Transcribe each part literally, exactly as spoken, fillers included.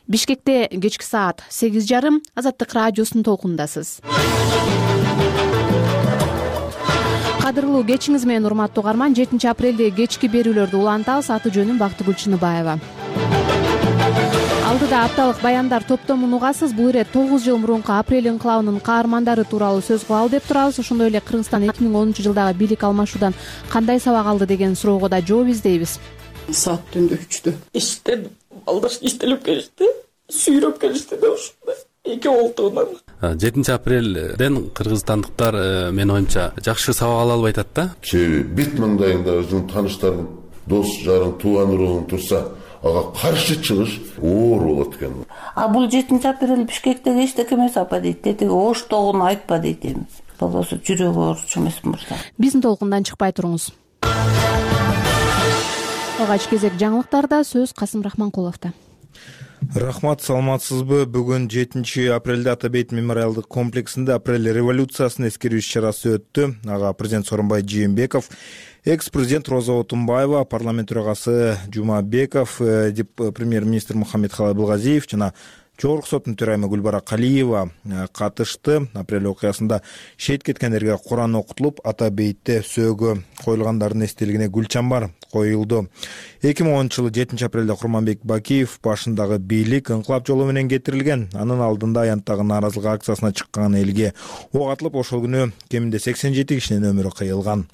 Бишкекте кечки саат сегиз жарым Азаттык радиосунун толкунундасыз. Кадырлуу кечиңиз менен урматтуу угарман. жетинчи апрелде кечки берүүлөрдү улантабыз. Аты жөнүм Бактыгүл Чыныбаева. Алдыда апталык баяндар топтомун угасыз. Бул ирет тогуз жыл мурунку апрель инкылабынын каармандары тууралуу сөз кылалы деп турабыз. Ошондой эле Кыргызстан эки миң онунчу жылдагы бийлик алмашуудан кандай сабак алды деген суроого да жооп издейбиз. Саат түндө үчтө эшиктен балдар иштелип келишти, сүйрөп келишти да ушундай эки олтугунан. жетинчи апрелден кыргызстандыктар менин оюмча жакшы сабак ала албай атат да. Себеби бет маңдайыңда өзүң тааныштарың, дос жарың, тууган уруң турса, ага каршы чыгыш оор болот экен. А бул жетинчи апрель Бишкекте эчтеке эмес апа дейт. Теги оштогун айтпа дейт эми. Болбосо жүрөгү ооруч эмес мырза. Биздин толкундан чыкпай туруңуз. Алгач кезек жаңылыктарда сөз Касым Рахманкуловдо. Рахмат, саламатсызбы? Бүгүн жетинчи апрелде Ата бейит мемориалдык комплексинде апрель революциясын эскерүү иш-чарасы өттү. Ага президент Сооронбай Жээнбеков, экс-президент Роза Отунбаева, парламент төрагасы Жумабеков, премьер-министр Мухаммедхалай Абылгазиев жана Жогорку соттун төрайымы Гүлбара Калиева катышты. Апрель окуясында шейит кеткендерге Куран окутулуп, Ата бейтте сөөгө коюлгандардын эстелигине гүл чамбар коюлду. эки миң онунчу жылы жетинчи апрелде Курманбек Бакиев башындагы бийлик инкылап жолу менен кетирилген. Анын алдында аянттагы нааразылык акциясына чыккан элге ок атылып, ошол күнү кеминде сексен жети кишинин өмүрү кыйылган.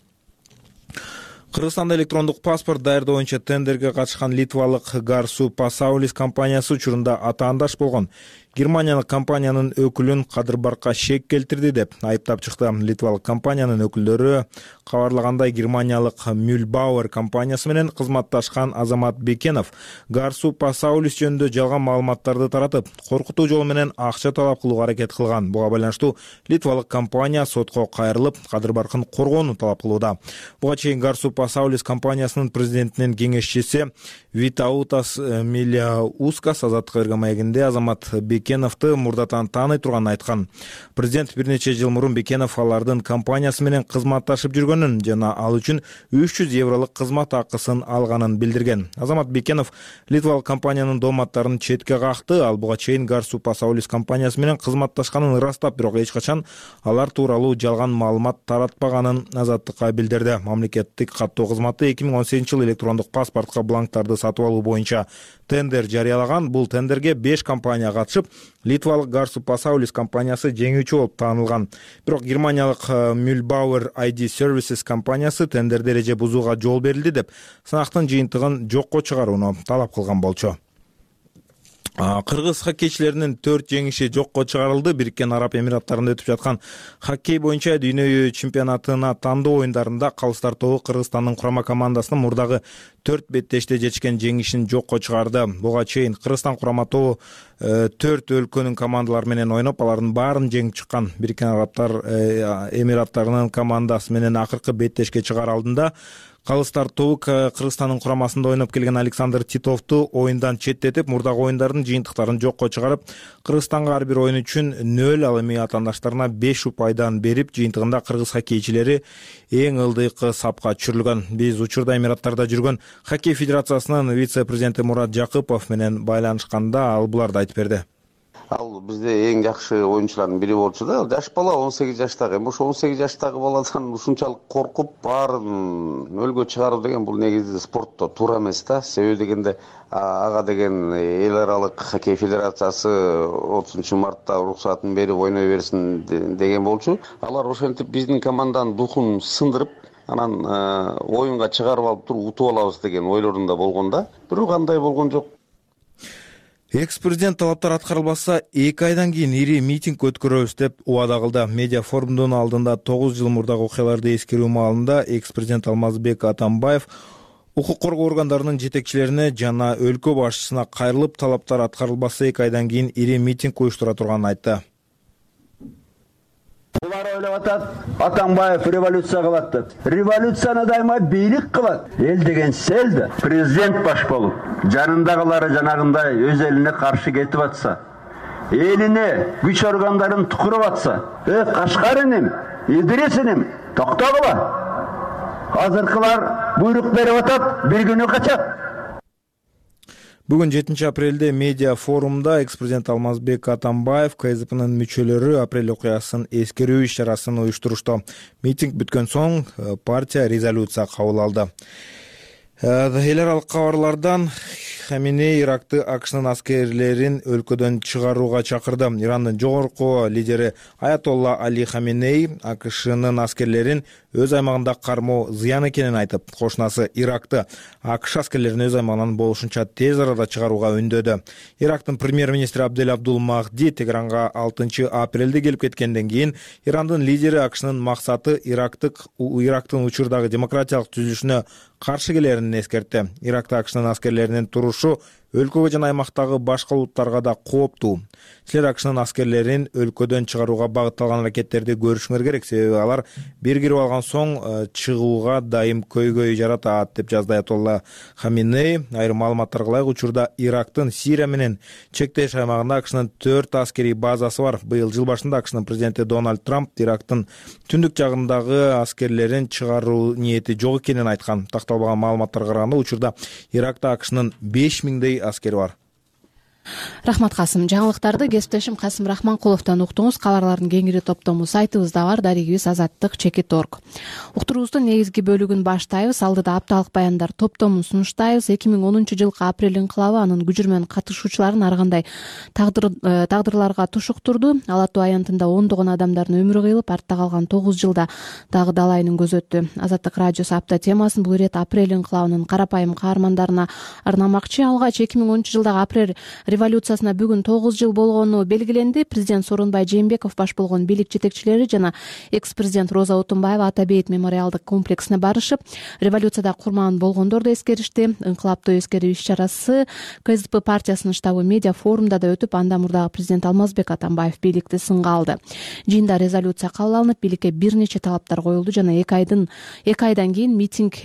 Кыргызстанда электрондук паспорт даярдоо боюнча тендерге катышкан литвалык Garsu Pasaulis компаниясы учурунда атаандаш болгон Германиялык компаниянын өкүлүн кадырбарка шек келтирди деп айыптап чыкты. Литвалык компаниянын өкүлдөрү кабарлагандай, Германиялык Mühlbauer компаниясы менен кызматташкан Азамат Бекенов Garsu Pasaulis жөнүндө жалган маалыматтарды таратып, коркутуу жол менен акча талап кылууга аракет кылган. Буга байланыштуу Литвалык компания сотко кайрылып, Кадырбаркын коргоону талап кылууда. Буга чейин Garsu Pasaulis компаниясынын президентинин кеңешчиси Витаутас Милиаускас Азаттык берген маегинде Азамат Бекеновду мурдатан тааный турганын айткан. Президент бир нече жыл мурун Бекенов алардын компаниясы менен кызматташып жүргөнүн жана ал үчүн үч жүз евролук кызмат акысын алганын билдирген. Азамат Бекенов литвалык компаниянын дооматтарын четке какты. Ал буга чейин Garsu Pasaulis компаниясы менен кызматташканын ырастап, бирок эч качан алар тууралуу жалган маалымат таратпаганын Азаттыкка билдирди. Мамлекеттик каттоо кызматы эки миң он сегизинчи жылы электрондук паспортко бланктарды сатып алуу боюнча тендер жарыялаган. Бул тендерге беш компания катышып, литвалык Garsu Pasaulis компаниясы жеңүүчү болуп таанылган. Бирок Германиялык Mühlbauer ай ди Services компаниясы тендерде эреже бузууга жол берилди деп сынактын жыйынтыгын жокко чыгарууну талап кылган болчу. Кыргыз хоккейчилеринин төрт жеңиши жокко чыгарылды. Бириккен Араб Эмираттарында өтүп жаткан хоккей боюнча дүйнө чемпионатына тандоо оюндарында Калыстар тобу Кыргызстандын курама командасынын мурдагы төрт беттеште жетишкен жеңишин жокко чыгарды. Буга чейин Кыргызстан курама тобу төрт өлкөнүн командалары менен ойноп, алардын баарын жеңип чыккан. Бириккен Арабтар Эмираттарынын командасы менен акыркы беттешке чыгаар алдында Калыстар тобу Кыргызстандын курамасында ойноп келген Александр Титовду оюндан четтетип, мурдагы оюндардын жыйынтыктарын жокко чыгарып, Кыргызстанга ар бир оюн үчүн нөл, ал эми атаандаштарына беш упайдан берип, жыйынтыгында кыргыз хоккейчилери эң ылдыйкы сапка түшүрүлгөн. Биз учурда Эмираттарда жүргөн хоккей федерациясынын вице-президенти Мурат Жакыпов менен байланышканда ал буларды айтып берди. Ал бизде эң жакшы оюнчулардын бири болчу да. Жаш бала он сегиз жаштагы. Эми ошо он сегиз жаштагы баладан ушунчалык коркуп баарын нөлгө чыгаруу деген бул негизи спортто туура эмес да. Себеби дегенде ага деген эл аралык хоккей федерациясы отузунчу мартта уруксатын берип ойной берсин деген болчу. Алар ошентип биздин команданын духун сындырып, анан оюнга чыгарып алып туруп утуп алабыз деген ойлорунда болгон да. Бирок андай болгон жок. Экс-президент талаптар аткарылбаса, эки айдан кийин ири митинг өткөрөбүз деп убада кылды. Медиа форумдун алдында тогуз жыл мурдагы окуяларды эскерүү маалында экс-президент Алмазбек Атамбаев укук коргоо органдарынын жетекчилерине жана өлкө башчысына кайрылып, талаптар аткарылбаса эки айдан кийин ири митинг уюштура турганын айтты. Булар ойлоп атат, Атамбаев революция кылат деп. Революцияны дайыма бийлик кылат. Эл деген сел да. Президент баш болуп, жанындагылары жанагындай өз элине каршы кетип атса, элине күч органдарын тукуруп атса, э Кашкариним, Идрисиним, токтогула. Азыркылар буйрук берип атат, бир күнү качат. Бүгүн жетинчи апрелде медиа форумда экс-президент Алмазбек Атамбаев КСДПнын мүчөлөрү апрель окуясын эскерүү иш-чарасын уюштурушту. Митинг бүткөн соң партия резолюция кабыл алды. Эл аралык кабарлардан Хаменеи Иракты АКШнын аскерлерин өлкөдөн чыгарууга чакырды. Ирандын жогорку лидери Аятолла Али Хаменеи АКШнын аскерлерин өз аймагында кармоо зыян экенин айтып, кошунасы Иракты АКШ аскерлерин өз аймагынан болушунча тез арада чыгарууга үндөдү. Ирактын премьер-министри Абдель Абдул Махди Тегеранга алтынчы апрелде келип кеткенден кийин Ирандын лидери АКШнын максаты Ирактык Ирактын учурдагы демократиялык түзүлүшүнө каршы келерин эскертти. Иракта АКШнын аскерлеринин турушу өлкөгө жана аймактагы башка улуттарга да кооптуу. Силер АКШнын аскерлерин өлкөдөн чыгарууга багытталган аракеттерди көрүшүңөр керек, себеби алар бир кирип алган соң чыгууга дайым көйгөй жаратат, деп жазды Аятолла Хаменеи. Айрым маалыматтарга ылайык, учурда Ирактын Сирия менен чектеш аймагында АКШнын төрт аскерий базасы бар. Быйыл жыл башында АКШнын президенти Дональд Трамп Ирактын түндүк жагындагы аскерлерин чыгаруу ниети жок экенин айткан. Такталбаган маалыматтарга караганда, учурда Иракта АКШнын беш миңдей аскери бар. Рахмат Касым. Жаңылыктарды кесиптешим Касым Рахманкуловдон уктуңуз. Кабарлардын кеңири топтому сайтыбызда бар, дарегибиз азаттык чекит точка орг. Уктуруубуздун негизги бөлүгүн баштайбыз. Алдыда апталык баяндар топтомун сунуштайбыз. эки миң онунчу жылкы апрель инкылабы анын күжүрмөн катышуучуларын ар кандай тагдыр тагдырларга тушуктурду. Ала Тоо аянтында ондогон адамдардын өмүрү кыйылып, артта калган тогуз жылда дагы далайынын көзү өттү. Азаттык радиосу апта темасын бул ирет апрель инкылабынын карапайым каармандарына арнамакчы. Алгач эки миң онунчу жылдагы апрель революциясына бүгүн тогуз жыл болгону белгиленди. Президент Сооронбай Жээнбеков баш болгон бийлик жетекчилери жана экс-президент Роза Отунбаева Ата бейит мемориалдык комплексине барышып, революцияда курман болгондорду эскеришти. Инкылаптуу эскерүү иш-чарасы КСДП партиясынын штабы медиа форумда да өтүп, анда мурдагы президент Алмазбек Атамбаев бийликти сынга алды. Жыйында резолюция кабыл алынып, бийликке бир нече талаптар коюлду жана эки айдын эки айдан кийин митинг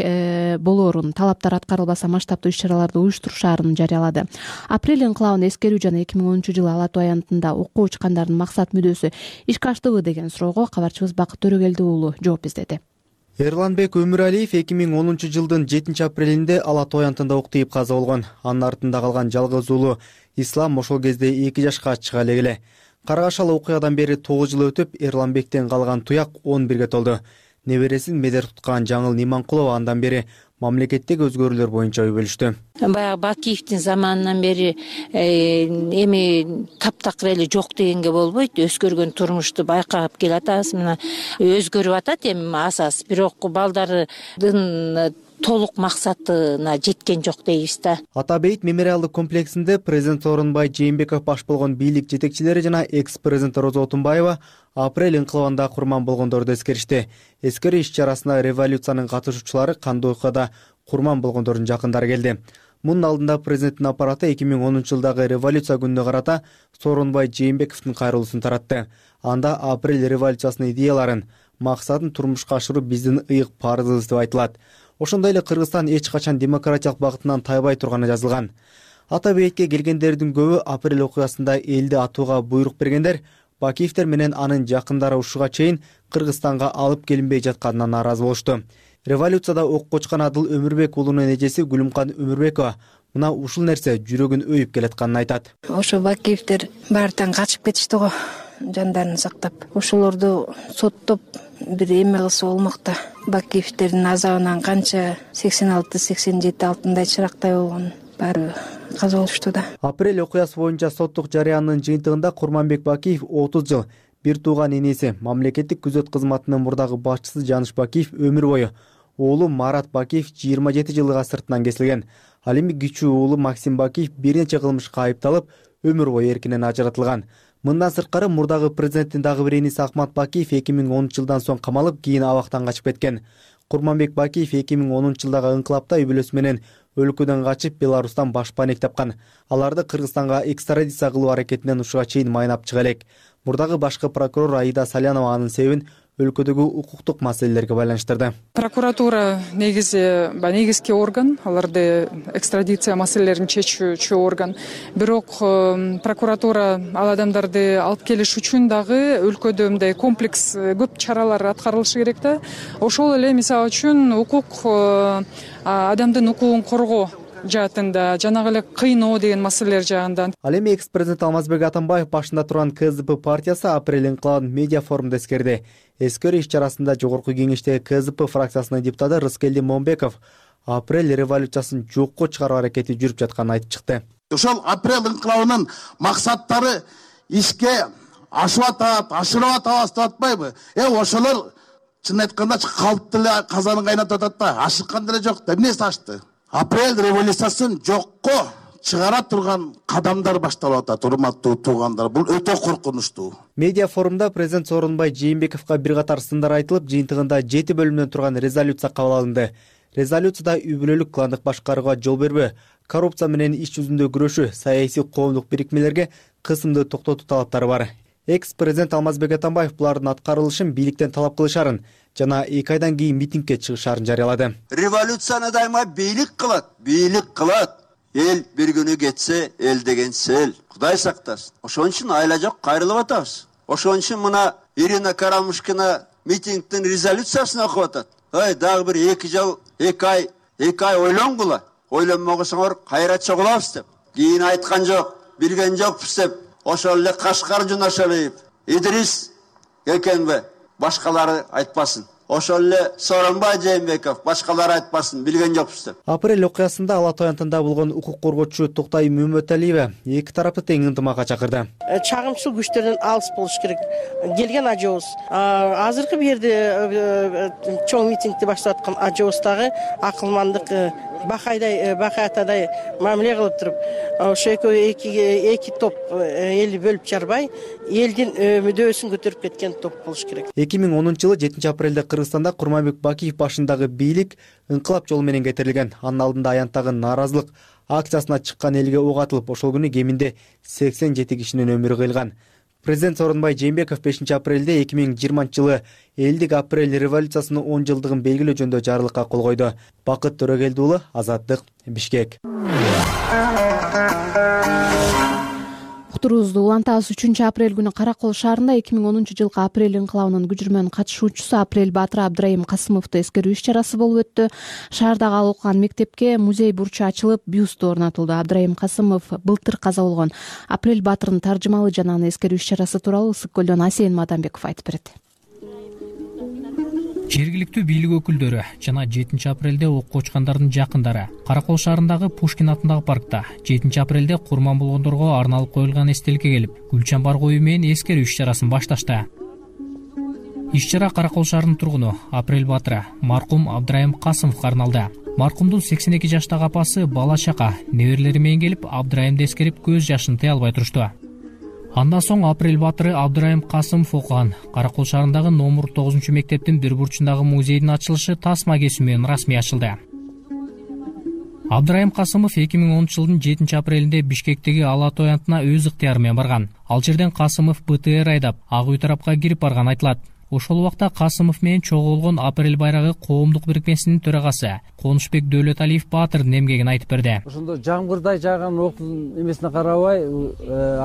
болоорун, талаптар аткарылбаса масштабтуу иш-чараларды уюштурушаарын жарыялады. Апрель инкылабын эскерүү жана эки миң онунчу жылы Ала Тоо аянтында окуу учкандардын максат мүдөөсү ишке аштыбы деген суроого кабарчыбыз Бакыт Төрөгелди уулу жооп издеди. Эрланбек Өмүралиев эки миң онунчу жылдын жетинчи апрелинде Ала Тоо аянтында ок тийип каза болгон. Анын артында калган жалгыз уулу Ислам ошол кезде эки жашка чыга эле. Каргашалы окуядан бери тогуз жыл өтүп, Эрланбектен калган туяк он бирге толду. Небересин медер туткан Жаңыл Ниманкулова андан бери мамлекеттеги өзгөрүүлөр боюнча ой бөлүштү. Баягы Бакиевдин заманынан бери эми таптакыр эле жок дегенге болбойт. Өзгөргөн турмушту байкап келатабыз. Мына өзгөрүп атат эми асас, бирок балдардын толук максатына жеткен жок дейбиз да. Ата бейит мемориалдык комплексинде президент Сооронбай Жээнбеков баш болгон бийлик жетекчилери жана экс-президент Роза Отунбаева апрель инкылабында курман болгондорду эскеришти. Эскерүү иш-чарасына революциянын катышуучулары кандуу окуяда курман болгондордун жакындары келди. Мунун алдында президенттин аппараты эки миң онунчу жылдагы революция күнүнө карата Сооронбай Жээнбековдун кайрылуусун таратты. Анда апрель революциясынын идеяларын, максатын турмушка ашыруу биздин ыйык парызыбыз деп айтылат. Ошондой эле Кыргызстан эч качан демократиялык багытынан тайбай турганы жазылган. Ата бейитке келгендердин көбү апрель окуясында элди атууга буйрук бергендер, Бакиевдер менен анын жакындары ушуга чейин Кыргызстанга алып келинбей жатканына нааразы болушту. Революцияда ок кочкон Адыл Өмүрбек уулунун эжеси Гүлүмкан Өмүрбекова мына ушул нерсе жүрөгүн өйүп келатканын айтат. Ошо Бакиевдер баарытан качып кетишти го, жандарын сактап. Ошолорду соттоп бир эме кылса болмок да. Бакиевдердин азабынан канча сексен алты сексен жети алтындай чырактай болгон баары каза болушту да. Апрель окуясы боюнча соттук жарыянын жыйынтыгында Курманбек Бакиев отуз жыл, бир тууган энеси мамлекеттик күзөт кызматынын мурдагы башчысы Жаныш Бакиев өмүр бою, уулу Марат Бакиев жыйырма жети жылга сыртынан кесилген. Ал эми кичүү уулу Максим Бакиев бир нече кылмышка айыпталып, өмүр бою эркинен ажыратылган. Мындан сырткары мурдагы президенттин дагы бир эниси Ахмат Бакиев эки миң онунчу жылдан соң камалып, кийин абактан качып кеткен. Курманбек Бакиев эки миң онунчу жылдагы инкылапта үй бүлөсү менен өлкөдөн качып Беларустан башпаанек тапкан. Аларды Кыргызстанга экстрадиция кылуу аракетинен ушуга чейин майнап чыга элек. Мурдагы башкы прокурор Аида Салянова анын себебин өлкөдөгү укуктук маселелерге байланыштырды. Прокуратура негизи негизги орган, аларды экстрадиция маселелерин чечүүчү орган. Бирок прокуратура ал адамдарды алып келиш үчүн дагы өлкөдө мындай комплекс көп чаралар аткарылышы керек да. Ошол эле мисалы үчүн укук, адамдын укугун коргоо жаатында, жанагы эле кыйноо деген маселелер жагынан. Ал эми экс президент Алмазбек Атамбаев башында турган ка зэ пэ партиясы апрель инкылабын медиа форумда эскерди. Эскерүү иш-чарасында жогорку кеңештеги ка зэ пэ фракциясынын депутаты Рыскелди Момбеков апрель революциясын жокко чыгаруу аракети жүрүп жатканын айтып чыкты. Ошол апрель инкылабынын максаттары ишке ашып атат, ашырып атабыз деп атпайбы? Э, ошолор чын айтканда калп деле казанын кайнатып атат да, ашыккан деле жок да. Эмнеси ашты? Апрель революциясын жокко чыгара турган кадамдар башталып атат, урматтуу туугандар. Бул өтө коркунучтуу. Медиа форумда президент Сооронбай Жээнбековго бир катар сындар айтылып, жыйынтыгында жети бөлүмдөн турган резолюция кабыл алынды. Резолюцияда үй бүлөлүк кландык башкарууга жол бербөө, коррупция менен иш жүзүндө күрөшүү, саясий коомдук бирикмелерге кысымды токтотуу талаптары бар. Экс президент Алмазбек Атамбаев булардын аткарылышын бийликтен талап кылышарын жана эки айдан кийин митингге чыгышарын жарыялады. Революцияны дайыма бийлик кылат, бийлик кылат. Эл бир күнү кетсе, эл деген сел. Кудай сактасын. Ошон үчүн айла жок кайрылып атабыз. Ошон үчүн мына Ирина Карамушкина митингдин резолюциясын окуп атат. Ой, дагы бир эки жыл, эки ай, эки ай ойлонгула. Ойлонмогосоңор кайра чогулабыз деп. Кийин айткан жок, билген жокпуз деп. Ошол эле Кашкар Жунашалиев, Идрис Кекенбе, башкалары айтпасын. Ошол эле Сооронбай Жээнбеков, башкалары айтпасын, билген жокпуз деп. Апрель окуясында Ала Тоо аянтында болгон укук коргоочу Токтай Мөмөталиева эки тарапты тең ынтымакка чакырды. Чагымчыл күчтөрдөн алыс болуш керек. Келген ажообуз, азыркы бу жерде чоң митингди баштап аткан ажообуздагы акылмандык бакайдай, бакаатадай мамиле кылып туруп, ошо эки эки топ элди бөлүп жарбай, элдин мүдөөсүн көтөрүп кеткен топ болуш керек. эки миң онунчу жылы жетинчи апрелде Кыргызстанда Курманбек Бакиев башындагы бийлик инкылап жолу менен кетирилген. Анын алдында аянттагы нааразылык акциясына чыккан элге ок атылып, ошол күнү кеминде сексен жети кишинин өмүрү кыйылган. Президент Сооронбай Жээнбеков бешинчи апрелде эки миң жыйырманчы жылы элдик апрель революциясынын он жылдыгын белгилөө жөнүндө жарлыкка кол койду. Бакыт Төрөгелди уулу, Азаттык, Бишкек. Уктуруубузду улантабыз. үчүнчү апрель күнү Каракол шаарында эки миң онунчу жылкы апрель инкылабынын күчүрмөн катышуучусу Апрель Баатыр Абдрайым Касымовду эскерүү иш-чарасы болуп өттү. Шаардагы ал окуган мектепке музей бурчу ачылып, бюсту орнотулду. Абдрайым Касымов былтыр каза болгон Апрель Баатырдын таржымалы жана аны эскерүү иш-чарасы тууралуу Ысык көлдөн Асен Мадамбеков айтып берет. Жергиликтүү бийлик өкүлдөрү жана жетинчи апрелде окко учкандардын жакындары Каракол шаарындагы Пушкин атындагы паркта жетинчи апрелде курман болгондорго арналып коюлган эстеликке келип, гүл чамбар коюу менен эскерүү иш-чарасын башташты. Иш-чара Каракол шаарынын тургуну Апрель Баатыры маркум Абдрайым Касымовго арналды. Маркумдун сексен эки жаштагы апасы бала чака неберелери менен келип, Абдрайымды эскерип көз жашын тыя албай турушту. Андан соң Апрель Баатыры Абдрайым Касымов окуган Каракол шаарындагы номер тогузунчу мектептин бир бурчундагы музейдин ачылышы тасма кесүү менен расмий ачылды. Абдрайым Касымов эки миң онунчу жылдын жетинчи апрелинде Бишкектеги Ала Тоо аянтына өз ыктыяры менен барган. Ал жерден Касымов бэ тэ эр айдап, Ак үй тарапка кирип барган айтылат. Ошол убакта Касымов менен чогуу болгон Апрель байрагы коомдук бирикмесинин төрагасы Конушбек Дөөлөталиев Баатырдын эмгегин айтып берди. Ошондо жамгырдай жааган октун эмесине карабай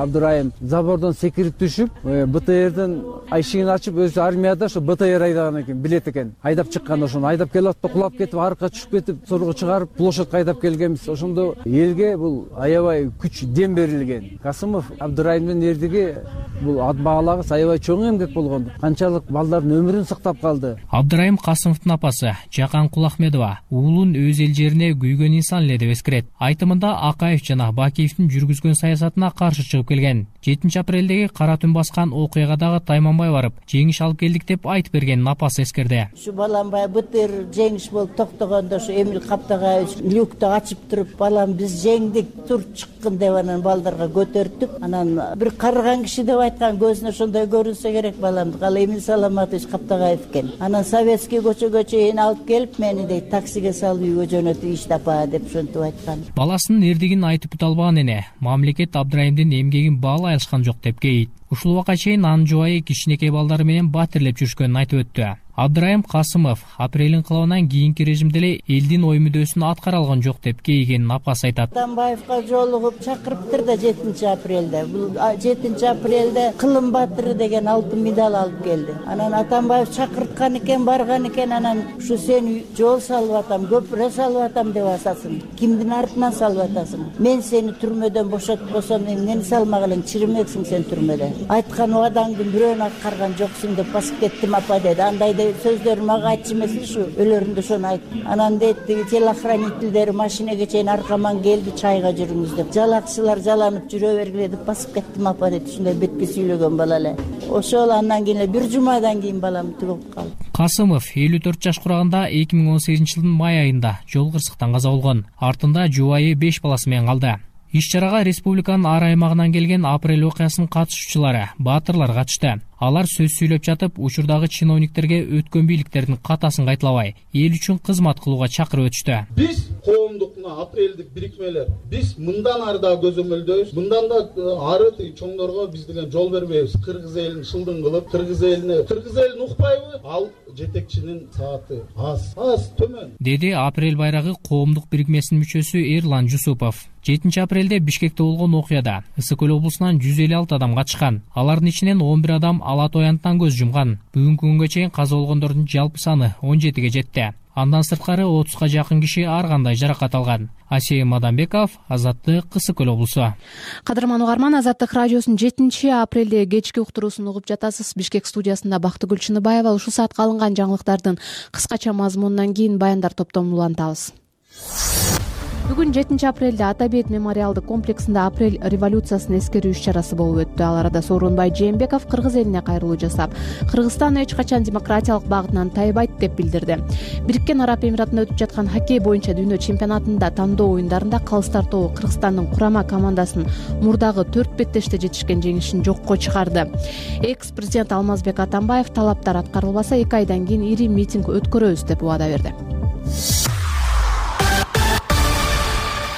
Абдрайым забордон секирип түшүп, бэ тэ эрдин эшигин ачып, өзү армияда ошо бэ тэ эр айдаган экен, билет экен. Айдап чыккан, ошону айдап келип атып, кулап кетип, аркка түшүп кетип, сорго чыгарып, площадька айдап келгенбиз. Ошондо элге бул аябай күч дем берилген. Касымов Абдрайымдын эрдиги бул ат баалагыс аябай чоң эмгек болгон. Канчалык балдардын өмүрүн сактап калды. Абдрайым Касымовдун апасы Жакан Кулахмедова уулун өз эл жерине күйгөн инсан эле деп эскерет. Айтымында Акаев жана Бакиевдин жүргүзгөн саясатына каршы чыгып келген. жетинчи апрелдеги кара түн баскан окуягадагы тайманбай барып, жеңиш алып келдик деп айтып бергенин апасы эскерди. Ушу балам баягы бэ тэ эр жеңиш болуп токтогондо ушу Эмил Каптагаевич люкту ачып туруп, балам биз жеңдик, тур чыккын деп анан балдарга көтөрттүк. Анан бир карыган киши деп айткан, көзүнө ошондой көрүнсө керек баламды. Кала Эмил Саламатович Каптагаев экен. Анан Советский көчөгө чейин алып келип, мени дейт таксиге салып үйгө жөнөтүп, иш тапа деп ошентип айткан. Баласынын эрдигин айтып бүтө албаган эне мамлекет Абдрайымдын эмгегин баалай алышкан жок деп кейит. Ушул убакка чейин анын жубайы кичинекей балдары менен батирлеп жүрүшкөнүн айтып өттү. Абдырайым Касымов апрель инкылабынан кийинки режимде эле элдин ой мүдөөсүн аткара алган жок деп кейигенин апасы айтат. Атамбаевга жолугуп чакырыптыр да жетинчи апрелде. Бул жетинчи апрелде Кылым баатыры деген алтын медаль алып келди. Анан Атамбаев чакырткан экен, барган экен, анан ушу сени жол салып атам, көпүрө салып атам деп атасың. Кимдин артынан салып атасың? Мен сени түрмөдөн бошотпосом, эмнени салмак элең, чиримексиң сен түрмөдө. Айткан убадаңды бирөөнү аткарган жоксуң деп басып кеттим апа деди. Андай сөздөрү мага айтчу эмес ушу, өлөрүндө ошону айт. Анан дейт, телохранительдери машинеге чейин аркаман келди, чайга жүрүңүз деп. Жалакчылар жаланып жүрө бергиле деп басып кеттим апа деди. Ушундай бетке сүйлөгөн бала эле. Ошол андан кийин бир жумадан кийин балам түгөп калды. Касымов элүү төрт жаш кураганда эки миң он сегизинчи жылдын май айында жол кырсыктан каза болгон. Артында жубайы беш баласы менен калды. Иш-чарага республиканын ар аймагынан келген апрель окуясынын катышуучулары, баатырлар катышты. Алар сөз сүйлөп жатып, учурдагы чиновниктерге өткөн бийликтердин катасын кайталабай, эл үчүн кызмат кылууга чакырып өтүштү. Биз коомдук мына апрелдик бирикмелер, биз мындан ары да көзөмөлдөйбүз, мындан да ары чоңдорго биз деген жол бербейбиз. Кыргыз элин шылдың кылып, кыргыз элине, кыргыз элин укпайбы? Ал жетекчинин сааты аз, аз төмөн. Деди апрель байрагы коомдук бирикмесинин мүчөсү Эрлан Жусупов. жетинчи апрелде Бишкекте болгон окуяда Ысык Көл облусунан жүз элүү алты адам катышкан. Алардын ичинен он бир адам ала тоянтан көз жумган. Бүгүнкү күнгө чейин каза болгондордун жалпы саны он жетиге жетти. Андан сырткары отузга жакын киши ар кандай жаракат алган. Асия Мадамбеков, Азаттык, Ысык Көл облусу. Кадырман угарман, Азаттык радиосунун жетинчи апрелде кечки уктуруусун угуп жатасыз. Бишкек студиясында Бактыгүл Чыныбаева. Ушул саатка алынган жаңылыктардын кыскача мазмунунан кийин баяндар топтомун улантабыз. Бүгүн жетинчи апрелде Ата бейит мемориалдык комплексинде апрель революциясын эскерүү иш-чарасы болуп өттү. Ал арада Сооронбай Жээнбеков кыргыз элине кайрылуу жасап, Кыргызстан эч качан демократиялык багытынан тайбайт деп билдирди. Бириккен Араб Эмиратында өтүп жаткан хоккей боюнча дүйнө чемпионатында тандоо оюндарында Калыстар тобу Кыргызстандын курама командасын мурдагы төрт беттеште жетишкен жеңишин жокко чыгарды. Экс-президент Алмазбек Атамбаев талаптар аткарылбаса эки айдан кийин ири митинг өткөрөбүз деп убада берди.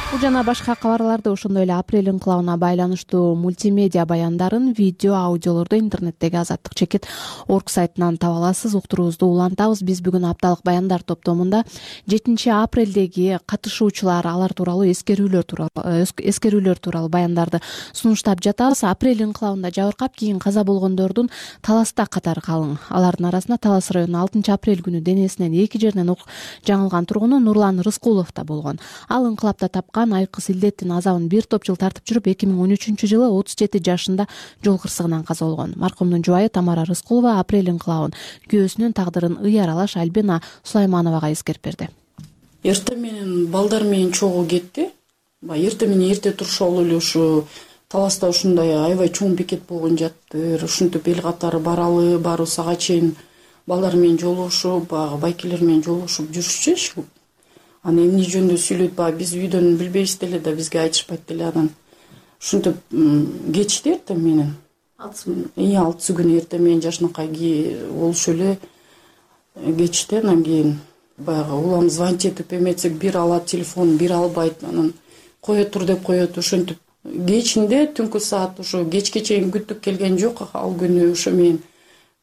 Бул жана башка кабарларды, ошондой эле апрель инкылабына байланыштуу мультимедиа баяндарын видео, аудиолорду интернеттеги азаттык чекит точка орг сайтынан таба аласыз. Уктуруубузду улантабыз. Биз бүгүн апталык баяндар топтомунда жетинчи апрелдеги катышуучулар, алар тууралуу эскерүүлөр тууралуу эскерүүлөр тууралуу баяндарды сунуштап жатабыз. Апрель инкылабында жабыркап кийин каза болгондордун Таласта катары калың. Алардын арасында Талас районунун алтынчы апрель күнү денесинен эки жеринен ок жаңылган тургуну Нурлан Рыскулов да болгон. Ал инкылапта тапкан айкыз илдеттин азабын бир топ жыл тартып жүрүп, эки миң он үчүнчү жылы отуз жети жашында жол кырсыгынан каза болгон. Маркумдун жубайы Тамара Рыскулова апрель инкылабын, күйөөсүнүн тагдырын ый аралаш Альбина Сулаймановага эскерип берди. Эртең менен балдар менен чогуу кетти. Эртең менен эрте турушолу эле ушу Таласта ушундай аябай чоң бекет болгон жаттыр. Ушинтип эл катары баралы, барыбыз ага чейин балдар менен жолугушуп, баягы байкелер менен жолугушуп жүрүшчү. Аны эмне жөнүндө сүйлөйт, баягы биз үйдөн билбейбиз деле да, бизге айтышпайт деле. Анан ушинтип кечти эртең менен. Эң алтысы күнү эртең менен жашынакай болушу эле кечти. Анан кийин баягы улам звонить этип эметсек, бир алат телефон, бир албайт. Анан кое тур деп коет. Ошентип кечинде түнкү саат ошо кечке чейин күттүк келген жок. Ал күнү ошо мен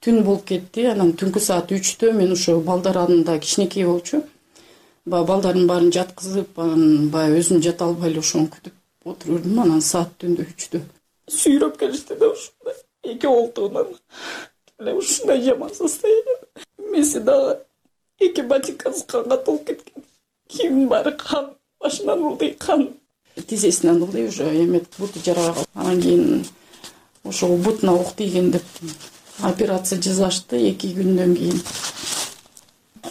түн болуп кетти. Анан түнкү саат үчтө мен ошо балдар анында кичинекей болчу. Баягы балдардын баарын жаткызып, анан баягы өзүм жата албай эле ошону күтүп отурдум. Анан саат түндө үчтө сүйрөп келишти да ушундай эки колтугунан. Ушундай жаман состояние. Меси дагы эки ботинкасы канга толуп кеткен. Кийимдин баары кан, башынан ылдый кан. Тизесинен ылдый уже эмет буту жараган. Анан кийин ошол бутуна ок тийген деп операция жасашты эки күндөн кийин.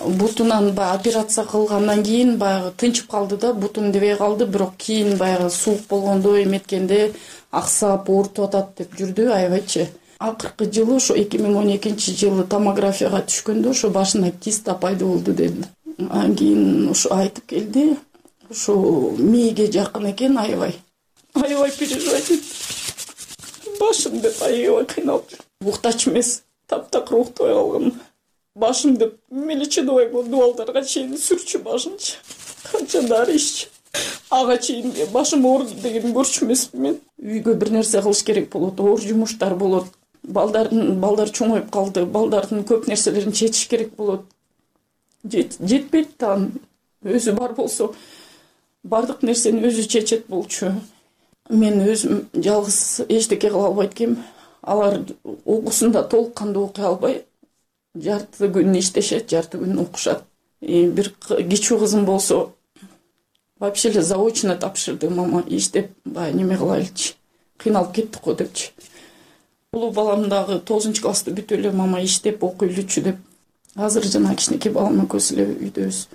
Бутунан баягы операция кылгандан кийин баягы тынчып калды да, бутун дебей калды, бирок кийин баягы суук болгондо эметкенде аксап, оорутуп атат деп жүрдү аябайчы. Акыркы жылы ошо эки миң он экинчи жылы томографияга түшкөндө ошо башына киста пайда болду деди. Анан кийин ошо айтып келди. Ошо мээге жакын экен, аябай. Аябай переживать этти. Башым деп аябай кыйналып жүр. Уктач эмес, таптакыр уктабай калган. Башым деп меличиновый дуалдарга чейин сүрчү башынчы. Канча дары иччи. Ага чейин башым ооруду деген көрчү эмесмин мен. Үйгө бир нерсе кылыш керек болот, оор жумуштар болот. балдардын балдар чоңоюп калды, балдардын көп нерселерин чечиш керек болот. Жетпейт да, өзү бар болсо бардык нерсени өзү чечет болчу. Мен өзүм жалгыз эчтеке кыла албайт экенмин. Алар окуусунда толук кандуу окуй албай, жарты күн иштешет, жарты күн окушат. Бир кичүү кызым болсо вообще эле заочно тапшырды. Мама иштеп, баягы неме кылайлычы, кыйналып кеттик го депчи. Улуу балам дагы тогузунчу классты бүтүп эле мама иштеп окуйлучу деп. Азыр жана кичинекей балам экөөбүз эле үйдөбүз.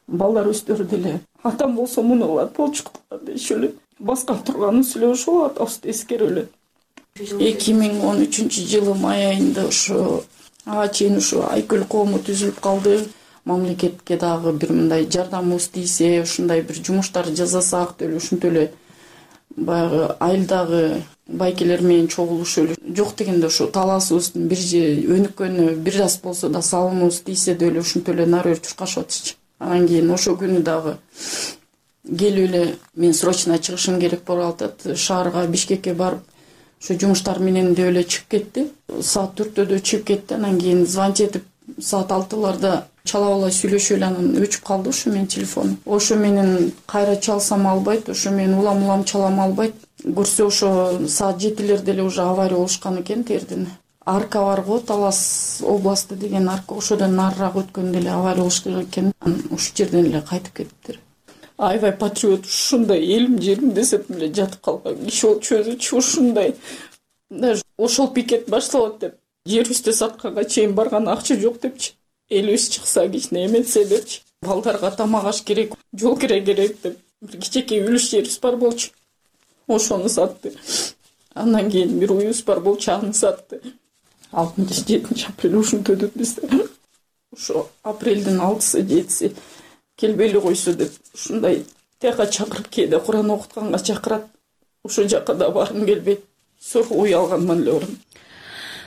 Балдар өздөрү деле атам болсо муну кылат болчу дешип эле баскан турганыбыз эле ошол атабызды эскерип эле. эки миң он үчүнчү жылы май айында ошо ага чейин ушу Айкөл коому түзүлүп калды. Мамлекетке дагы бир мындай жардамыбыз тийсе, ушундай бир жумуштар жасасак деле, ушинтип эле баягы айылдагы байкелер менен чогулушуп эле жок дегенде ошо талаасыбыздын бир өнүккөнү бир аз болсо да салымыбыз тийсе деле ушинтип эле нары чуркашып атышчы. Анан кийин ошо күнү дагы келип эле мен срочно чыгышым керек болуп атат. Шаарга, Бишкекке барып ошо жумуштар менен деп эле чыгып кетти. Саат төрттөдө чыгып кетти. Анан кийин звонить этип саат алтыларда чалабалай сүйлөшүп эле анан өчүп калды ошо менин телефоном. Ошо менен кайра чалсам албайт, ошо менен улам улам чалам албайт. Көрсө ошо саат жетилерде эле уже авария болушкан экен тердин. Арка бар го, Талас областы деген арка, ошодон нарыраак өткөндө эле авария болушкан экен. Ошол жерден эле кайтып кетиптир. Аябай патриот, ушундай элим жерим десеп эле жатып калган киши болчу өзүчү ушундай. Даже ошол пикет башталат деп, жерибизди сатканга чейин барган акча жок депчи. Элибиз чыкса кичине эметсе депчи. Балдарга тамак аш керек, жол кире керек деп бир кичинекей үлүш жерибиз бар болчу. Ошону сатты. Андан кийин бир уюбуз бар болчу, аны сатты. алтынчы жетинчи апрель ушинтип өтөт бизде. Ошо апрелдин алтысы жетиси келбей койсо деп ушундай тияка чакырып, кээде Куран окутканга чакырат. Ошол жака да баргым келбейт. Сорго үй алганман эле барам.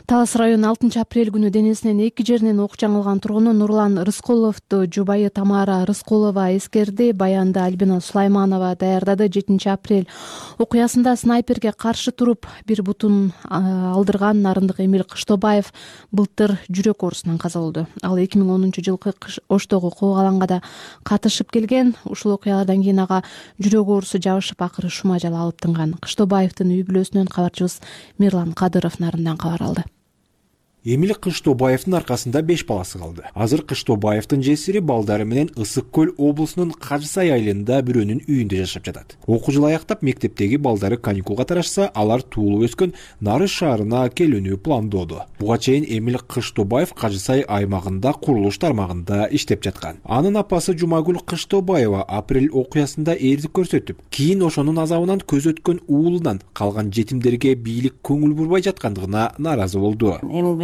Талас району алтынчы апрель күнү денесинен эки жеринен ок жаңылган тургуну Нурлан Рыскуловду жубайы Тамара Рыскулова эскерди. Баянды Альбина Сулайманова даярдады. жетинчи апрель окуясында снайперге каршы туруп бир бутун алдырган Нарындык Эмил Кыштобаев былтыр жүрөк оорусунан каза болду. Ал эки миң онунчу жылкы Оштогу куугаланга да катышып келген. Ушул окуялардан кийин ага жүрөк оорусу жабышып, акыры шума жала алып тынган. Кыштобаевдин үй бүлөсүнөн кабарчыбыз Мирлан Кадыров Нарындан кабар алды. Эмил Кыштобаевдин аркасында беш баласы калды. Азыр Кыштобаевдин жесири балдары менен Ысык Көл облусунун Кажысай айылында бирөөнүн үйүндө жашап жатат. Окуу жылы аяктап мектептеги балдары каникулга тарашса, алар туулуп өскөн Нары шаарына келүүнү пландоодо. Буга чейин Эмил Кыштобаев Кажысай аймагында курулуш тармагында иштеп жаткан. Анын апасы Жумагүл Кыштобаева апрель окуясында эрдик көрсөтүп, кийин ошонун азабынан көз өткөн уулунан калган жетимдерге бийлик көңүл бурбай жаткандыгына нааразы болду.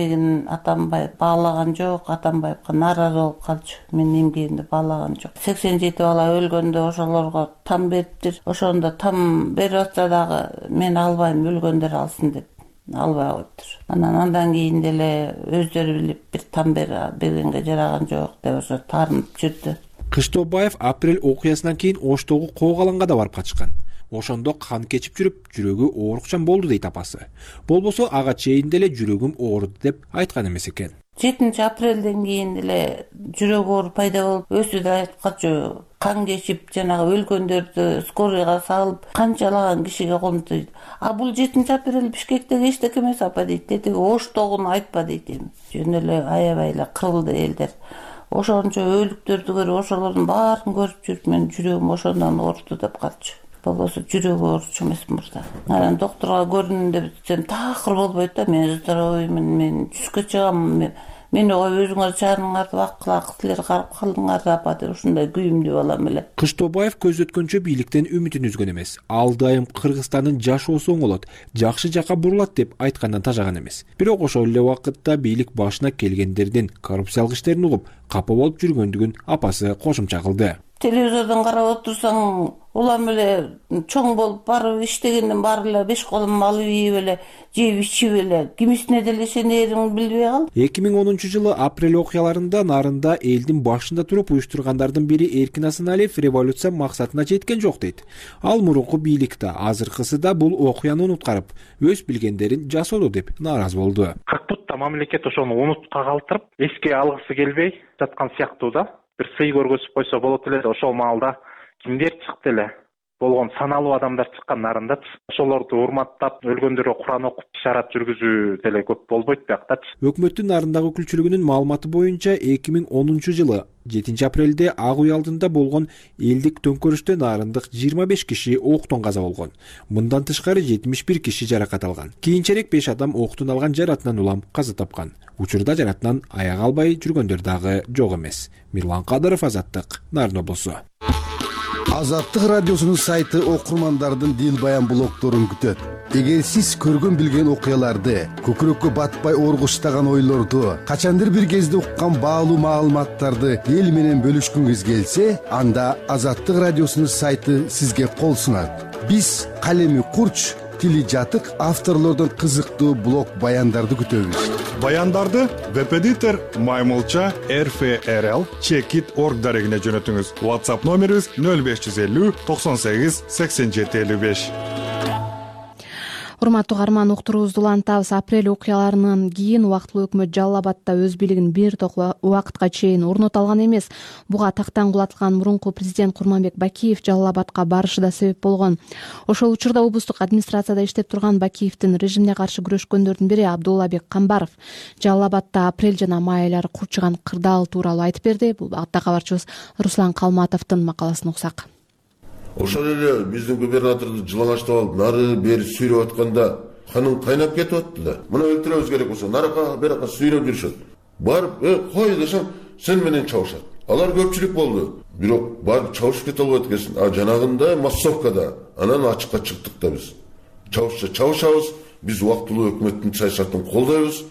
Атамбаев баалаган жок, Атамбаевга нааразы болуп калчу. Мен эмгегимди баалаган жок. сексен жети бала өлгөндө ошолорго там бериптир. Ошондо там берип атса дагы мен албайм, өлгөндөр алсын деп албай коюптур. Анан андан кийин деле өздөрү билип бир там бергенге жараган жок деп ошо таарынып жүрдү. Кыштобаев апрель окуясынан кийин Оштогу коогаланга да барып качкан. Ошондо кан кечип жүрүп, жүрөгү оорукчан болду дейт апасы. Болбосо ага чейин деле жүрөгүм ооруду деп айткан эмес экен. жетинчи апрелден кийин деле жүрөк оору пайда болуп, өзү да айткачу кан кечип, жанагы өлгөндөрдү скорыйга салып, канчалаган кишиге колунду дейт. А бул жетинчи апрель Бишкектеги эчтеке эмес апа дейт. Тетиги Оштогуну айтпа дейт эми. Жөн эле аябай эле кырылды элдер. Ошончо өлүктөрдү көрүп, ошолордун баарын көрүп жүрүп, мен жүрөгүм ошондон ооруду деп калчу. Болбосо жүрөк ооручу эмесмин мырза. Анан доктурга көрүнүн деп десем такыр болбойт да. Мен здоровыймын, мен түскө чыгам. Мени коюп өзүңөр чарыңарды вакыла силер карап калдыңар апа деп ушундай күйүмдүү балам эле. Кыштобаев көз өткөнчө бийликтен үмүтүн үзгөн эмес. Ал дайым Кыргызстандын жашоосу оңолот, жакшы жака бурулат деп айткандан тажаган эмес. Бирок ошол эле убакытта бийлик башына келгендердин коррупциялык иштерин угуп, капа болуп жүргөндүгүн апасы кошумча кылды. телевизордон карап отурсаң, улам эле чоң болуп барып иштегенден баары эле беш колун алып ийип эле жеп ичип эле кимисине деле ишенериңди билбей кал. эки миң онунчу жылы апрель окуяларында Нарында элдин башында туруп уюштургандардын бири Эркин Асаналиев революция максатына жеткен жок дейт. Ал мурунку бийликте, азыркысы да бул окуяны унуткарып, өз билгендерин жасоодо деп нааразы болду. кырк бутта мамлекет ошону унутка калтырып, эске алгысы келбей жаткан сыяктуу да. Бир сый көргөзүп койсо болот эле. Ошол маалда кимдер чыкты эле? Болгон саналуу адамдар чыккан Нарындачы. Ошолорду урматтап, өлгөндөргө Куран окуп, ишарат жүргүзүү деле көп болбойт биякчы. Өкмөттүн Нарындагы өкүлчүлүгүнүн маалыматы боюнча эки миң онунчу жылы жетинчи апрелде Ак Үй алдында болгон элдик төңкөрүштө нарындык жыйырма беш киши октон каза болгон. Мындан тышкары жетимиш бир киши жаракат алган. Кийинчерээк беш адам октун алган жаратынан улам каза тапкан. Учурда жаратынан аяк албай жүргөндөр дагы жок эмес. Мирлан Кадыров, Азаттык, Нарын облусу. Азаттык радиосунун сайты окурмандардын дил баян блогдорун күтөт. Эгер сиз көргөн билген окуяларды, көкүрөккө батпай оргуштаган ойлорду, качандыр бир кезде уккан баалуу маалыматтарды эл менен бөлүшкүңүз келсе, анда Азаттык радиосунун сайты сизге кол сунат. Биз калеми курч, тили жатык авторлордон кызыктуу блог баяндарды күтөбүз. Баяндарды веб-эдитор Маймылча эр эф эр эл чекит точка орг дарегине жөнөтүңүз. WhatsApp номерибиз нөл беш жүз элүү токсон сегиз сексен жети элүү беш. Урматтуу угарман, уктуруубузду улантабыз. Апрель окуяларынан кийин убактылуу өкмөт Жалал Абадта өз бийлигин бир топ убакытка чейин орното алган эмес. Буга тактан кулатылган мурунку президент Курманбек Бакиев Жалал Абадка барышы да себеп болгон. Ошол учурда облустук администрацияда иштеп турган Бакиевдин режимге каршы күрөшкөндөрдүн бири Абдуллабек Камбаров Жалал Абадта апрель жана май айлары курчуган кырдаал тууралуу айтып берди. Бул багытта кабарчыбыз Руслан Калматовдун макаласын уксак. Ошол эле биздин губернаторду жылаңачтап алып, нары бери сүйрөп атканда каның кайнап кетип атты да. Муну өлтүрөбүз керек болсо, наракка беракка сүйрөп жүрүшөт. Барып, э, кой десем, сен менен чабышат. Алар көпчүлүк болду. Бирок барып чабышып кете албайт экенсиң. А жанагында массовкада анан ачыкка чыктык да биз. Чабышса чабышабыз, биз убактылуу өкмөттүн саясатын колдойбуз.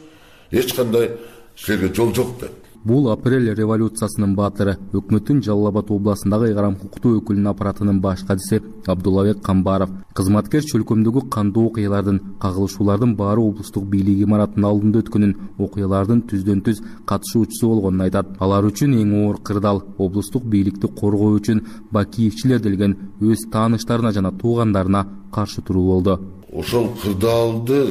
Эч кандай силерге жол жок деп. Бул апрель революциясынын баатыры, өкмөттүн Жалал Абад областындагы ыйгарым укуктуу өкүлүнүн аппаратынын баш кадиси Абдуллабек Камбаров. Кызматкер чөлкөмдөгү кандуу окуялардын, кагылышуулардын баары облустук бийлик имаратынын алдында өткөнүн, окуялардын түздөн түз катышуучусу болгонун айтат. Алар үчүн эң оор кырдаал облустук бийликти коргоо үчүн Бакиевчилер делген өз тааныштарына жана туугандарына каршы туруу болду. Ошол кырдаалды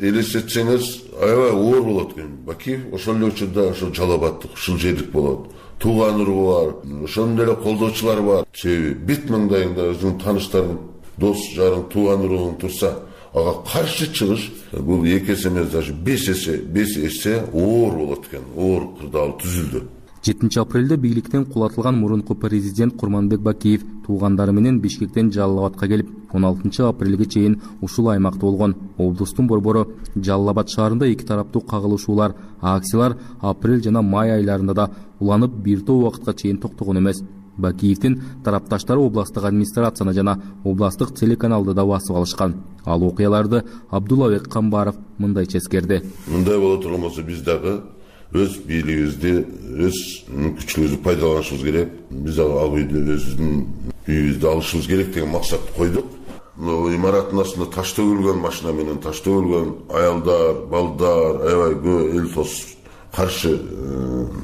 элестетсеңиз, аябай оор болот экен. Бакиев ошол эле учурда ошол Жалал Абадтык, ушул жердик болот. Тууган уруу бар, ошонун деле колдоочулар бар. Себеби бит маңдайыңда өзүңүн тааныштарың, дос жарың, тууган урууң турса, ага каршы чыгыш бул эки эсе эмес, даже беш эсе, беш эсе оор болот экен. Оор кырдаал түзүлдү. жетинчи апрелде бийликтен кулатылган мурунку президент Курманбек Бакиев туугандары менен Бишкектен Жалал Абадка келип, он алтынчы апрелге чейин ушул аймакта болгон. Облустун борбору Жалал Абад шаарында эки тараптуу кагылышуулар, акциялар апрель жана май айларында да уланып бир топ убакытка чейин токтогон эмес. Бакиевдин тарапташтары областтык администрацияны жана областтык телеканалды да басып алышкан. Ал окуяларды Абдуллабек Камбаров мындайча эскерди. Мындай боло турган болсо биз дагы өз бийлигибизди, өз мүмкүнчүлүгүбүздү пайдаланышыбыз керек. Биз дагы Ак Үйдө өзүбүздүн үйүбүздү алышыбыз керек деген максатты койдук. Имараттын астында таш төгүлгөн, машина менен таш төгүлгөн, аялдар, балдар, аябай көп эл тос каршы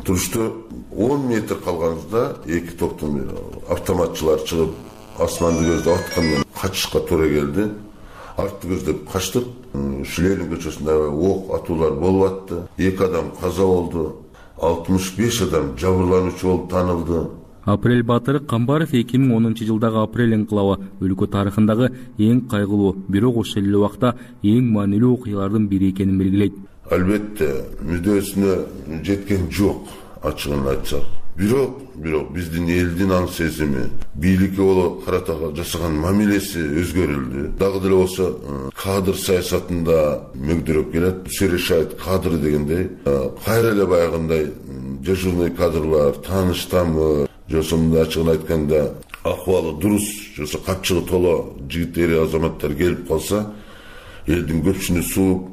турушту. он метр калганыбызда эки топтун автоматчылар чыгып, асманды көздөп аткандан качышка туура келди. Артты көздөп качтык. Ленин көчөсүндө ок атуулар болуп атты. эки адам каза болду. алтымыш беш адам жабырлануучу болуп танылды. Апрель баатыры Камбаров эки миң онунчу жылдагы апрель инкылабы өлкө тарыхындагы эң кайгылуу, бирок ошол эле убакта эң маанилүү окуялардын бири экенин белгилейт. Албетте, мүддөсүнө жеткен жок, ачыгын айтсак. Бирок, бирок биздин элдин аң сезими, бийликке боло карата жасаган мамилеси өзгөрүлдү. Дагы деле болсо, кадр саясатында мөгдөрөп келет. Все решает кадры дегендей. Кайра эле баягындай дежурный кадрлар, тааныштамы, жосомунда ачыгын айтканда, акыбалы дурус, жосо капчыгы толо жигит эри азаматтар келип калса, элдин көпчүнү сууп,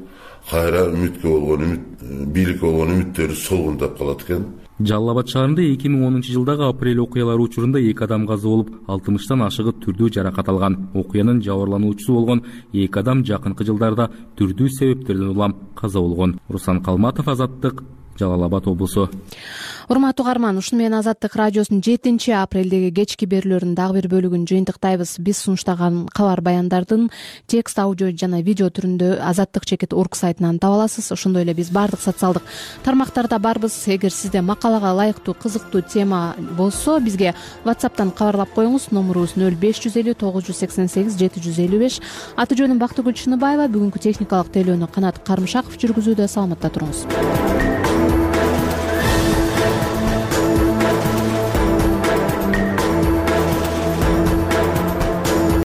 кайра үмүткө болгон үмүт бийликке болгон үмүттөрү солгундап калат экен. Жалал Абад шаарында эки миң онунчу жылдагы апрель окуялары учурунда эки адам каза болуп, алтымыштан ашыгы түрдүү жаракат алган. Окуянын жабырлануучусу болгон эки адам жакынкы жылдарда түрдүү себептерден улам каза болгон. Руслан Калматов, Азаттык, Жалал Абад облусу. Урматтуу угарман, ушуну менен Азаттык радиосунун жетинчи апрелдеги кечки берүүлөрүнүн дагы бир бөлүгүн жыйынтыктайбыз. Биз сунуштаган кабар баяндардын текст, аудио жана видео түрүндө азаттык чекит точка орг сайтынан таба аласыз. Ошондой эле биз баардык социалдык тармактарда барбыз. Эгер сизде макалага ылайыктуу, кызыктуу тема болсо, бизге WhatsApp'тан кабарлап коюңуз. Номурубуз нөл беш жүз элүү тогуз жүз сексен сегиз жети жүз элүү беш. Аты жөнүм Бактыгүл Чыныбаева. Бүгүнкү техникалык тейлөөнү Канат Карымшаков жүргүзүүдө. Саламатта туруңуз.